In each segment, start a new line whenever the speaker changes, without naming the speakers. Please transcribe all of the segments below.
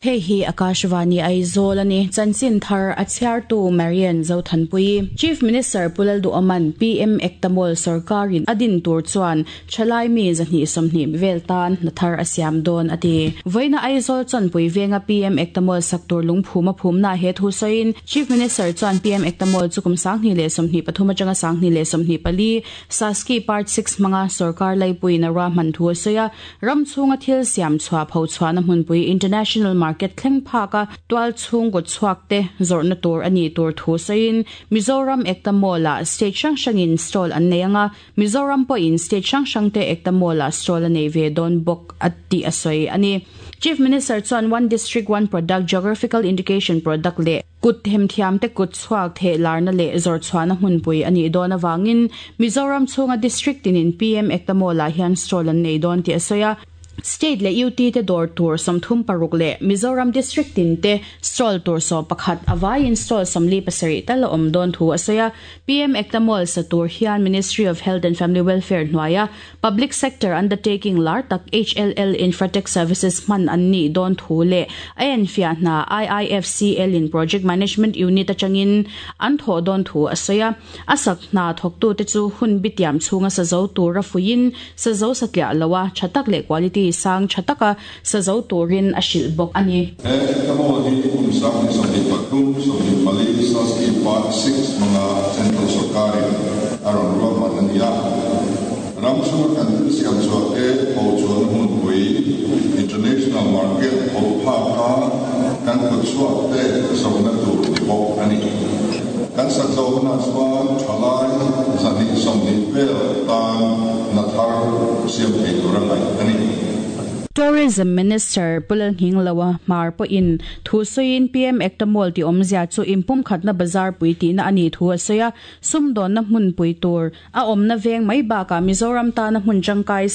Hei hi Akashvani Aizawl a ni. Chanchin thar a chhiartu Marian Zothanpui. Chief Minister Pu Lalduhawman PM Ekta Mall sorkarin a din tur chuan thalai mi 220 vel tan hna thar a siam dawn a ti. Vawiina Aizawl chawnpui venga PM Ekta Mall sak tur lungphum a phumna he thu sawiin Chief Minister chuan PM Ekta Mall chu kum 2023 atanga 2024 Saski Part 6 hmanga sorkar laipuiin a ruahman thu a sawi a. Ram chhunga thil siam chhuah pho chhuahna hmunpui International Market thleng phaka tual chhung kut chhuak te zawrhna tur a nih tur thu sawiin Mizoram Ekta Mall-ah state hrang hrangin stall an nei anga, Mizoram pawhin state hrang hrang te Ekta Mall-ah stall a nei ve dawn bawk a tih a sawi a ni. Chief Minister chuan One District One Product Geographical Indication Product leh Kut themthiamte kut chhuak theh larna leh zawrchhuahna hmunpui a nih dawn avangin Mizoram chhunga District tinin PM Ekta Mall-ah hian stall an nei dawn tih a sawi a. State leh UT te dawr tur 36 leh Mizoram District tin te stall tur 11 a vaiin stall 47 tal a awm dawn thu a sawi a. PM Ekta Mall sa tur hian Ministry of Health and Family Welfare hnuaia Public sector undertaking lar tak HLL Infratech Services hman an nih dawn thu leh a enfiah hna IIFCL in Project Management Unit atangin an thawh dawn thu a sawi a. A sak hna thawktute chu hun bitiam chhunga sa zo tura fuiin sa zo satliah loa tha tak leh quality sang tha taka sa zo turin a hrilh bawk a ni.
He Ekta Mall hi kum 2023, 24 Saski Part 6 hmanga Central sorkarin a rawn ruahman a ni a. Ram chhunga kan thil siam chhuah te pho chuan hmunpui International Market pho phaka kan kut chhuak te zawhna tur ni bawk a ni. Kan sak zawh hunah chuan thalai 220 vel tan hna thar siam thei tur a ngaih a ni.
Tourism Minister Pu Lalnghingloa Hmar pawhin thu sawiin PM Ekta Mall tih awmzia chu inpumkhatna bazar pui tihna a nih thu a sawi a, sumdawnna hmunpui tur a awmna veng mai bakah Mizoram tana hmun tangkai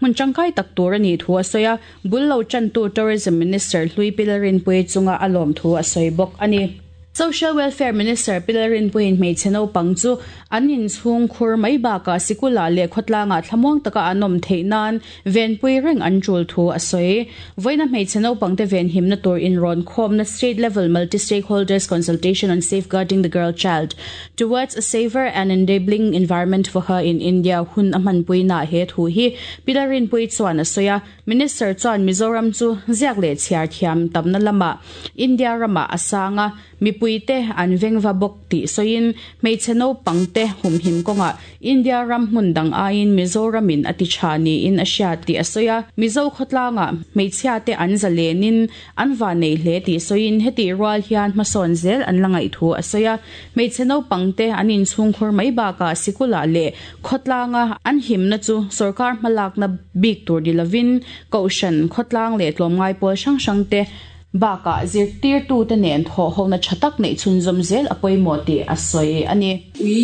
hmun tangkai tak tur a nih thu a sawi a, bul lo tantu Tourism Minister Hlui Pi Lalrinpuii chunga a lawm thu a sawi bawk a ni. Social Welfare Minister Pi Lalrinpuiin hmeichhe naupang chu an inchhung khur mai bakah sikulah leh khawtlangah thlamuang taka an awm theih nan venpui reng an tul thu a sawi. Vawiina hmeichhe naupangte venhimna tur inrawn khawmna State Level Multi-Stakeholders Consultation on Safeguarding the Girl Child Towards a Safer and Enabling Environment for Her in India hun a hmanpuina he thu hi Pi Lalrinpuii chuan a sawi a. Minister chuan Mizoram chu ziak leh chhiar thiam tamna lamah India ramah a sang a, mipuite an vengva bawk tih sawiin hmeichhe naupangte humhim kawngah India ram hmun dang aiin Mizoramin a ti tha niin a hria tih a sawi a. Mizo khawtlangah hmeichhiate an zalenin an va nei hle tih sawiin hetih rual hian hmasawn zel an la ngaih thu a sawi a. Hmeichhe naupangte an inchhungkhur mai bakah sikulah leh khawtlanga an himna chu sorkar hmalakna bik tur ni lovin kohhran khawtlang leh tlawmngai pawl hrang hrangte bakah zirtirtute nen thawh hona tha tak neih chhunzawm zel a pawimawh tih a sawi a ni.
We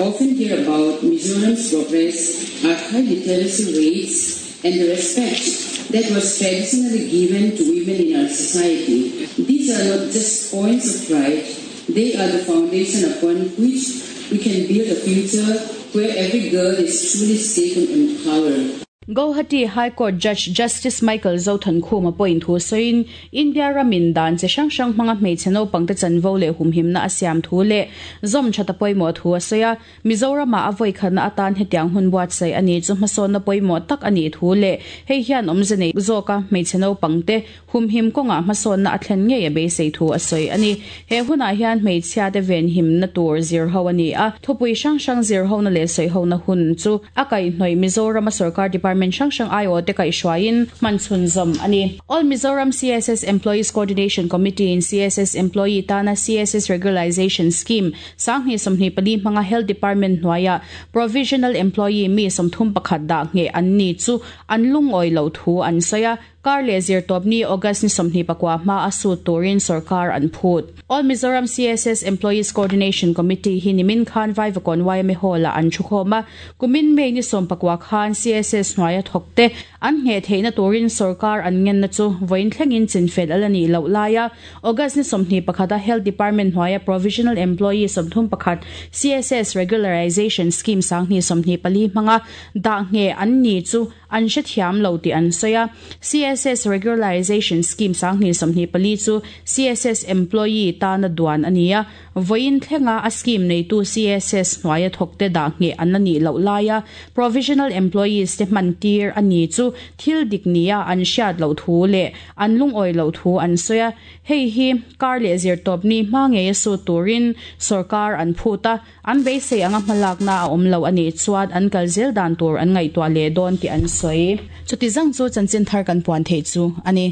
often hear about Mizoram's progress, our high literacy rates and the respect that was traditionally given to women in our society. These are not just points of pride, they are the foundation upon which we can build a future where every girl is truly safe and empowered.
Guwahati High Court Judge Justice Michael Zothankhuma pawhin thu sawiin India ramin dan chi hrang hrang hmanga hmeichhe naupangte chanvo leh humhimna a siam thu leh zawm tha ta pawimawh thu a sawi a. Mizoramah a vawikhatna atan hetiang hun buatsaih a ni chu hmasawnna pawimawh tak a nih thu leh hei hian awmze nei zawka hmeichhe naupangte humhim kawngah hmasawnna a thlen ngei a beisei thu a sawi a ni. He hunah hian hmeichhia te venhimna tur zir ho a ni a, thupui hrang hrang zir hona leh sawi hona hun chu a kaihhnawih Mizorama sorkar department hrang hrang aiawh te kaihhruaiin hman chhunzawm a ni. All Mizoram CSS Employees Coordination Committee in CSS employee tana CSS Regularization Scheme 2024 hmanga Health Department hnuaia provisional employee mi 31 dah nge an ni chu an lungawi lo thu an sawi a. Kar leh zirtawp ni August ni 24 hma a sut turin sarkar an phut. All Mizoram CSS Employees Coordination Committee hi nimin khan Vaivakawn YMA Hall-ah an thu khawm a, kumin May ni 19 khan CSS hnuaia thawkte an nge theihna turin sarkar an ngenna chu vawiin thlengin chinfel ala nih loh laia August ni 21 a Health Department hnuaia provisional employee 31 CSS Regularization Scheme 2024 hmanga dah nge an ni chu. an hrethiam lo tih an sawi a. CSS Regularization Scheme 2024 chu CSS employee tana duan a ni a, vawiin thlenga a scheme neitu CSS hnuaia thawkte dah ngheh an la nih loh laia provisional employees te hman tir a ni chu thil dik nia an hriat loh thu leh an lungawi loh thu an sawi a. Hei hi kar leh zirtawpni hma ngeia sut turin sorkar an phut a, an beisei anga hmalakna a awm lo a nih chuan an kal zel dan tur an ngaihtuah leh dawn tih an sawi. Chuti zang chu chanchin thar kan puan theih chu a ni.